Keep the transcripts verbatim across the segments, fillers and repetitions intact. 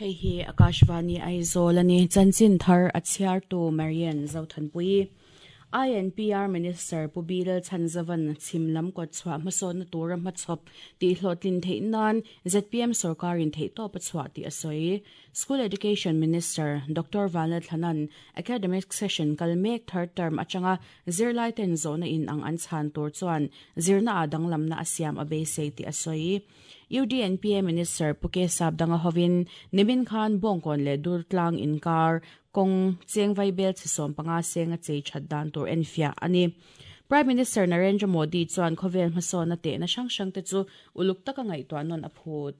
Hei hi Akashvani Aizawl ani chanchin thar a chhiartu Marian Zothanpui. I N P R Minister Pu Bilal Chanzavan chimlam ko chwa hmasawn na tura hmachhawp ti hlawhtlin theih nan Z P M sorkarin theih tawp a chhuah tih a sawi. School Education Minister Doctor Vanlalthlana'n academic session kal mek third term atanga zirlai ten zawhna in ang an chhan tur chuan zirna a danglamna a siam a beisei tih a sawi. U D N P A Minister Pu K Sapdanga hovin nimin khan Bawngkawn leh Durtlang inkar kawng cheng vaibelchhe sawm panga seng a chei that dan tur enfiah ani. Prime Minister Narendra Modi chuan khawvel hmasawn na tehna hrang hrang te chu uluk taka ngaihtuah nawn a phut.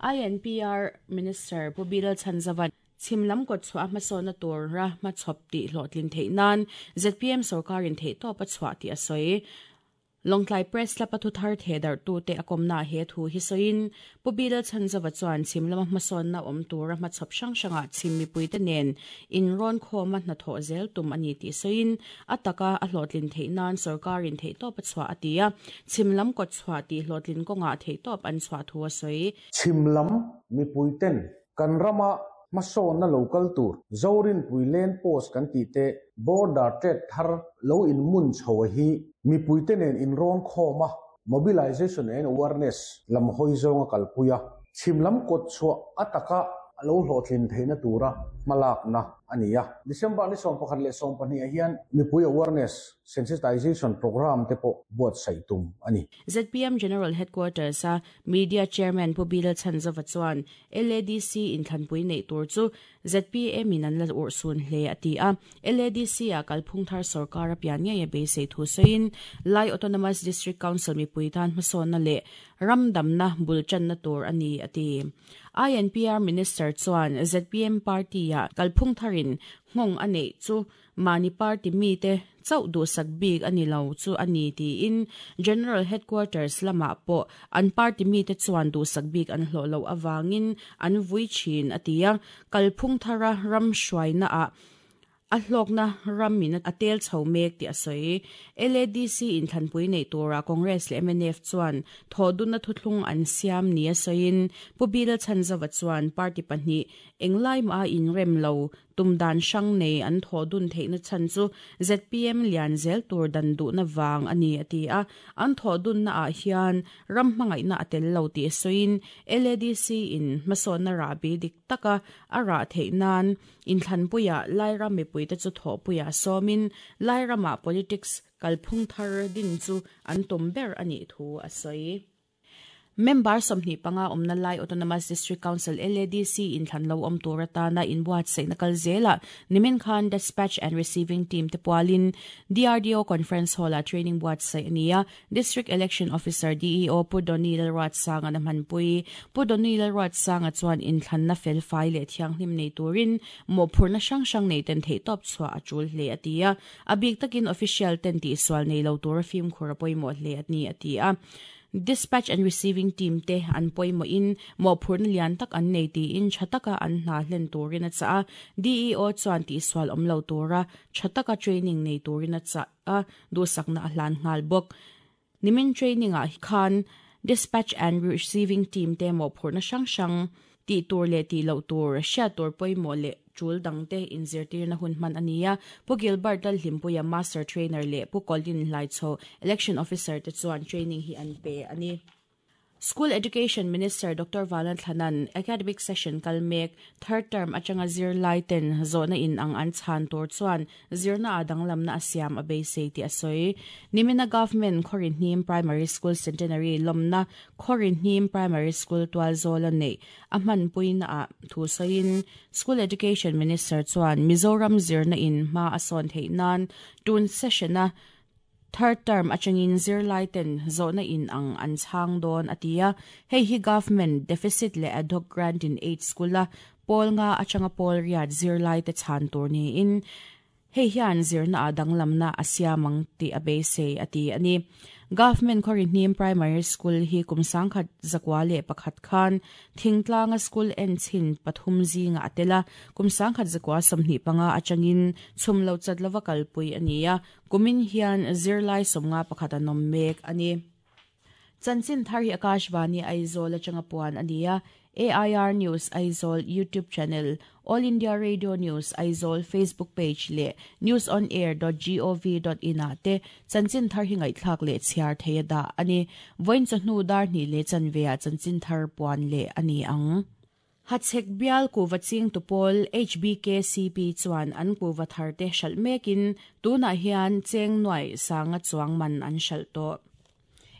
I N P R Minister Pu Bilal Chanzavan chimlam ko chhuah hmasawn na tur ra hmachhawp ti hlawhtlin theih nan Z P M sorkarin theih tawp a chhuah tih a sawi. Lawngtlai Press Club a thuthar thedar tu te akomna he thu hi soin Pu Bilal Chanzawa chuan chimlama hmasawn na awm tura hmachhawp hrang hranga chim mipui te nen in rawn khawma hnathawh zel tum ani tih soin ataka a hlawhtlin theih nan sorkarin theih tawp a chhuah atia chimlam ko chhuah ti hlawhtlin kawnga theih tawp an chhuah thu a sawi. Chimlam mipui ten kan rama hmasawn na local tur Zorin Puilen post kan ti te border trade thar lo in mun chho hi mipui te nen in rawn khawma mobilization and awareness lam hoi zawnga kalpuia chimlam kot chhuah ataka lo hlawhtlin theihna tura hmalak na ania. December ni sawm pakhat leh sawm pahnih ah hian mipui awareness sensitization program te pawh buatsaih tum ani. Z P M General Headquarters a Media Chairman Pu Bilal Chanzawa chuan L A D C in thlanpui nei tur chu Z P M in an la ur sun hle ati a. L A D C a kalphung thar sarkar a pian nge beisei thu soin Lai Autonomous District Council mipui tan hmasawn na le ramdamna bulchan na tur ani ati. I N P R Minister chuan Z P M party a kalphung tharin ngong anei chu mani party mi te chau du sak bik ani lo chu ani ti in General Headquarters lama po an party mi te chuan du sak bik an hlo lo awangin an vui chin atia kalphung thara ram hruaina a a hlawkna ramin a tel chho mek ti a sawi. L A D C in thlanpui nei tura Congress leh M N F chuan thodunna thuthlung an siam ni a sawiin Pu Bilal Chanzawa chuan party pahnih englai ma in rem lo tumdan hrang nei an thodun theihna chan chu Z P M lian zel tur dan du na wang ani ati a an thodun na ah hian ram hmangaihna a tel lo ti sawiin L A D C in hmasawn na ra bi dik taka a ra theih nan in thlanpuia Lairam mipui te chu thawhpuia sawmin Lairama politics kalphung thar din chu an tum ber ani thu a sawi. Member sawmhnih panga awmna Lai Autonomous District Council L A D C in thlan lo awm tur atana inbuatsaih na kal zela nimin khan Dispatch and Receiving Team te pualin D R D O Conference Hall a training buatsaih ania. District Election Officer D E O Pu Doni Lalruatsanga na hmanpui. Pu Doni Lalruatsanga chuan in thlan na fel fai leh thianghlim nei turin mawhphurhna hrang hrang nei ten theih tawp chhuah a tul hle atia a bik takin official ten tih sual nei lo tur fimkhur a pawimawh hle ani atia. Dispatch and Receiving Team te an pawimawh in mawhphurhna lian tak an nei tiin tha taka an hna hlen turin a chah a. D E O chuan tihsual awm lo tura tha taka training nei turin a chah a duhsakna a hlan nghal bawk. Nimin training ah khan Dispatch and Receiving Team te mawhphurhna hrang hrang tih tur leh tih loh tur hriat tur pawimawh leh tul dang te inzirtirna hun hman ania. Pu Gilbert Lalhlimpuia Master Trainer leh Pu Colin Hlaichho Election Officer te chuan training hi an pe ani. School Education Minister Doctor Vanlalthlana'n academic session kal mek third term atanga zirlai ten zawhna in ang an chhan tur chuan zirna a danglamna a siam a beisei tih a sawi. Nimina Government Khawrihnim Primary School Centenary lawmna Khawrihnim Primary School tualzawl a neih a hmanpuina ah thu sawiin School Education Minister chuan Mizoram zirna in hma a sawn theih nan tun session a third term atangin zirlai ten zawhna in ang an chhang dawn atia. Hei hi government deficit leh ad hoc grant in aid school a pawl nga atanga pawl riat zirlai te chhan tur ni in hei hian zirna a danglamna a siamang ti a beisei ati ani. Government Khawrihnim Primary School hi kum sangkhat zakwa leh pakhat khan thingtlanga school en chin pathum zinga atela kum sangkhat zakwa sawmhnih panga atangin chhumlo chat lova kalpui ania. Kumin hian zirlai sawmnga pakhat an awm mek ani. Chanchin thar hi Akashvani Aizawl atanga puan ania. A I R News Aizawl YouTube channel, All India Radio News Aizawl Facebook page le news on air dot gov dot in a te chanchin thar hi ngai thlak le chhiar theia da ani voin chahnu dar ni le chanvea chanchin thar puan le ani ang. Hachhek bial kuva ching tupol H B K C P chuan an kuva thar te hral mekin tuna hian cheng nuai sanga chuang man an hral to.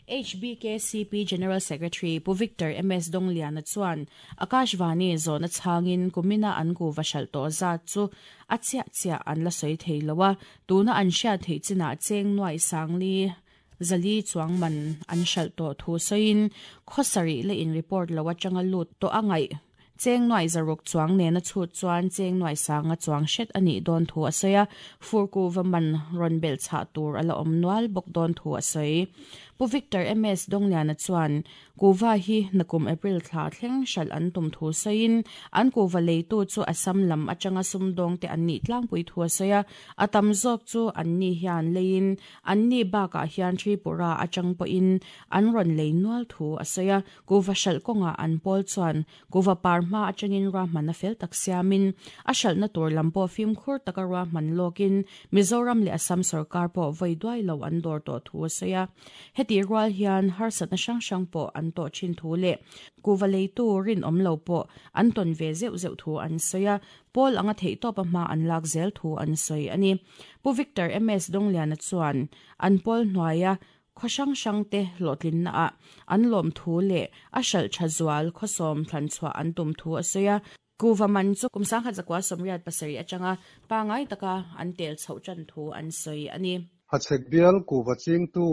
H B K C P General Secretary Pu Victor M S Dongliana chuan Akashvani zona changin kumina an kuva hral to za chu achia chia an la soi theilowa tuna an hria thei china cheng nuai sangli zali chuang man an hral to thu soin khosari le in report lawa changa lut to angai cheng nuai zaruk chuang ne na chu chuan cheng nuai sanga chuang shet ani don thu asaya furku vaman ron bel cha tur ala om nual bok don thu asai Pu Victor M S Dongliana chuan kuva hi nakum April thla thleng hral an tum thu sain an kuva leitu chu Assam lam atanga sumdong te an ni tlangpui thu asaya atam zawk chu an ni hian lein an ni baka hian Tripura atang po in an ron lei nual thu asaya kuva hral konga an pol chuan kuva par ma atangin ra man a fel tak siamin a hral na tur lampo fim khur taka ra man lokin Mizoram le Assam sarkar po voi duai lo an dor to thu asaya ti rual hian harsat na sang sang po an to chin thu le kuvalei tu rin om lo po an ton ve zeu zeu thu an soya pol anga thei to pa ma an lak zel thu an soi ani Pu Victor M S Dongliana chuan an pol hnuaia khosang sang te lotlin na a an lom thu le a hral thazual khosom thlan chua an tum thu asoya kuva man chu kumsang kha zakwa somriat pasari atanga pangai taka an tel chho chan thu an soi ani. Hachhek bial kuva ching tu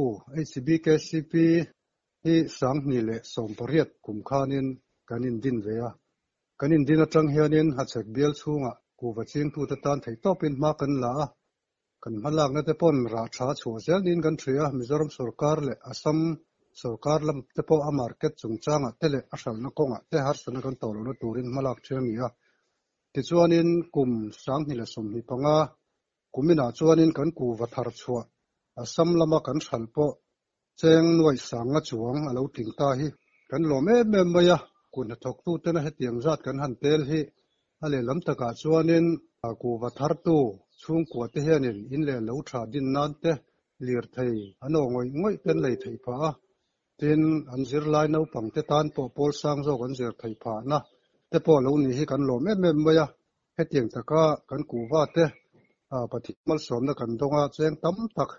H B K C P hi sangni le sompariat kumkhanin kanin din veya kanin din atang hianin hachhek bial chunga kuva ching tu ta tan thei topin ma kan la kan malak na te pon ra tha chu zel nin kan thria Mizoram sarkar le Assam sarkar lam te po a market chungchanga te le a hral na konga te har sana kan tolo na turin malak themi a ti chuanin kum sangni le somni panga kumina chuanin kan kuva thar chua Assam lama kan hral po cheng nuai sanga chuang alo tling ta hi kan lom em em maia kun thok tu tena hetiang zat kan han tel hi ale lam taka chuanin kuva thar tu chung kwa te hianin in le lo tha din nan te lir thei ano ngoi ngoi ten lei thei pha tin an zir lai no pang te tan po pol sang zo kan zir thei pha na te po lo ni hi kan lom em em maia hetiang taka kan kuva te a pathi mal som na kan donga cheng tam tak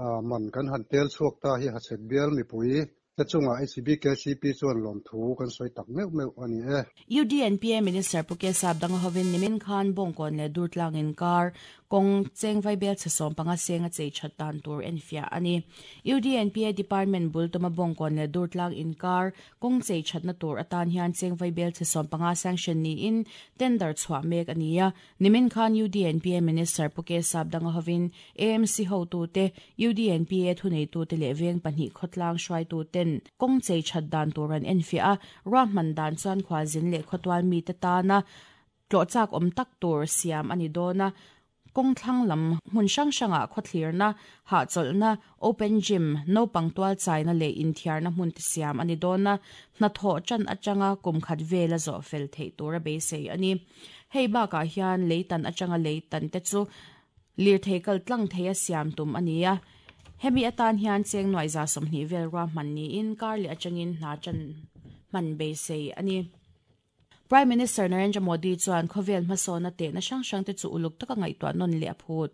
a man kan han tel chuak ta hi hachhek bial mi pui te chunga H B K C P chuan lom thu kan soi tak meu meu ani e. U D N P A Minister Puke Sabdang hovin nimin khan bongkon le durtlang in kar kong cheng vai bel chasom panga senga chei chatan tur enfia ani. U D N P A Department bul tuma bongkon le durtlang in kar kong chei chatna tur atan hian cheng vai bel chasom panga sanction ni in tender chwa mek ania. Nimin khan U D N P A Minister Puke Sabdang hovin A M C ho tu te U D N P A thunei tu te le veng pahnih khotlang hruai tu ten kong chei chat dan turan enfia ra man dan chuan khwa zin le khotwal mi te ta na tlo chak om tak tur siam ani dona kong thlang lam hmun sang sanga khothlir na ha cholna open gym no pangtual chaina le inthiar na hmun ti siam ani dona na tho chan atanga kum khat vela zo fel thei tura be sei ani. Hei ba ka hian leitan atanga leitan te chu lir theikal tlang theia siam tum ania. Hemi atan hian cheng noi za somni vel ra man ni in kar le atangin na chan man be sei ani. Prime Minister Narendra Modi chuan khovel hmasona te na sang sang te chu uluk taka ngai to non le aphut.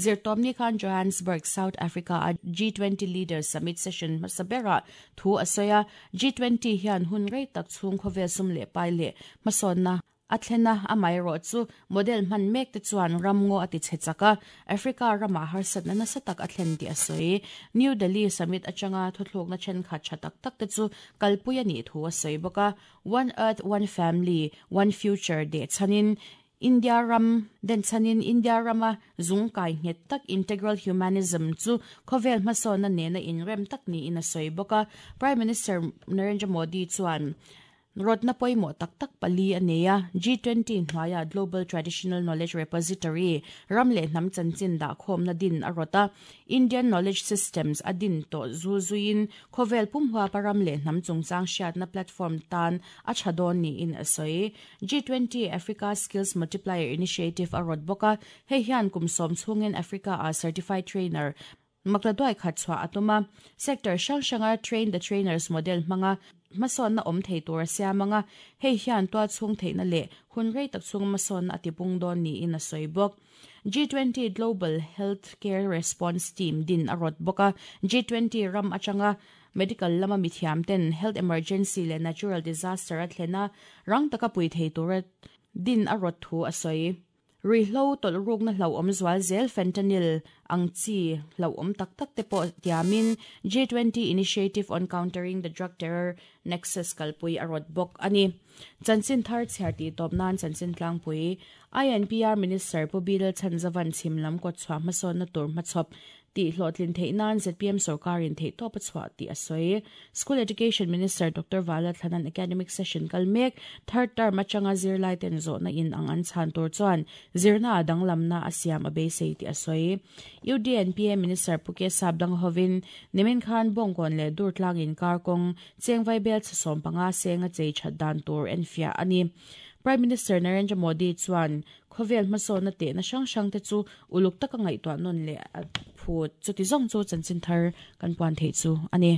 Zirtomni khan Johannesburg, South Africa a G twenty Leaders Summit Session masabera thu asaya G twenty hian hun rei tak chung khovel sum le pai le hmasona athena amai ro chu model man mek te chuan ramngo ati chechaka Africa rama harsat na satak athlen ti asoi. New Delhi summit achanga thuthlok na chen kha chatak tak te chu kalpuya ni thu asoi boka One Earth One Family One Future de chanin India ram den chanin India rama zungkai nget tak integral humanism chu khovel hmasona ne na in rem tak ni in asoi boka. Prime Minister Narendra Modi chuan Rotna poimo tak tak pali aneia G twenty hnuaia Global Traditional Knowledge Repository ramle hnam chanchin da khom na din arota Indian Knowledge Systems adin to zuzuin khovel pumhua paramle hnam chungchang hriat na platform tan a thadon ni in asoi G twenty Africa Skills Multiplier Initiative arot boka hei hian kumsom chungin Africa a certified trainer makladoi khatchwa atuma sector sang sanga train the trainers model manga mason na om thei tur siamanga hei hian to chung theina le hunrei tak chung mason atipung don ni in a soibok G twenty Global Healthcare Response Team din arot boka G twenty ram achanga medical lama mithiam ten health emergency le natural disaster athlena rang taka pui thei tur din arot thu asoi Rihlo tol ruk na hlau om zwal zel fentanyl ang chi hlau om tak tak te po tiamin G twenty Initiative on Countering the Drug Terror Nexus kalpui arot bok ani chanchin thar chherti top nan chanchin tlangpui I N P R Minister Pu Bidal Chanzavan chimlam ko chwa mason na tur machop ti hlotlin theinan Z P M sarkarin thei top chwa ti asoi School Education Minister Doctor Vala Thanan academic session kalmek third term achanga zirlai ten zo na in ang an chan tur chuan zirna adang lamna asiam abe sei ti asoi U D N P A Minister Puke Sabdang Hovin nimin khan bongkon le dur tlangin karkong chengvai bel chasom panga senga chei thatdan tur enfia ani Prime Minister Narendra Modi chuan khovel maso na te na sang sang te chu uluk taka ngai to non le phut chuti zong chu chanchin thar kan puan thei chu ani.